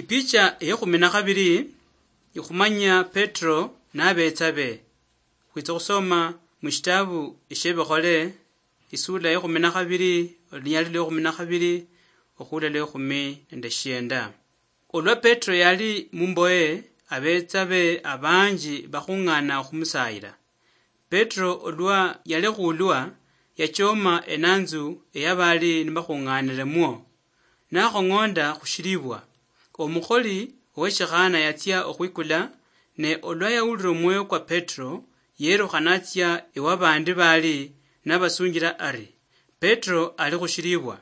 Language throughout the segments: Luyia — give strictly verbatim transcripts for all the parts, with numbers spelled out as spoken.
Ipicha eyekhumi na khabili ikhumanya Petro nabetsa be. Khwitsa khusoma mushitabu eshebikhole, isula yekhumi na khabili, olunyali lwekhumi na khabili, okhula lwekhumi nende shienda. Olwa Petro yali mumboye, abetsa be abanji bakhung'ana okhumusayila. Petro olwa yalekhulwa, yachoma enanzu eyabali nibakhung'anilemwo, nakhong'onda khushilibwa. Omukholi oweshikhana yatsia okhwikula, ne olwa yawulira omwoyo kwa Petro, yerukha natsia ewabandi bali nabasunjila ari, Petro ali khushilibwa.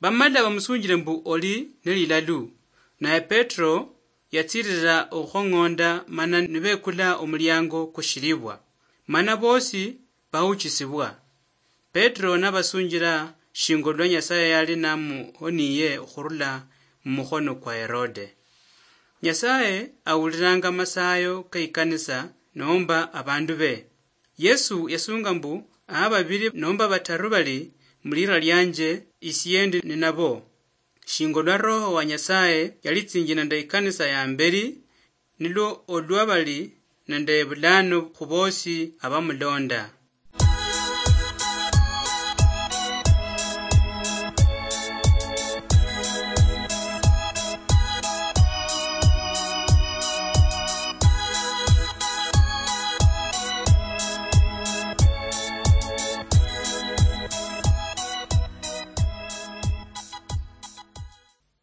Bamala bamusunjile mbu oli nelilalu, naye Petro yatsilila okhukhong'onda mana nibekula omuliango kushilibwa, mana bosi bawuchisibwa. Petro nabasunjila shinga olwa Nyasaye yali namuhoniye okhurula mumukhono kwa Herode. Nyasaye awulilanga amasayo keikanisa nomba abandu be. Yesu yasunga mbu, aha babili nomba bataru bali mulira lianje, isie ndi ninabo. Shinga olwa Roho wa Nyasaye yalitsinjile nende ikanisa ya mbeli, nilwo olwa bali nende bulano khubosi abamulonda.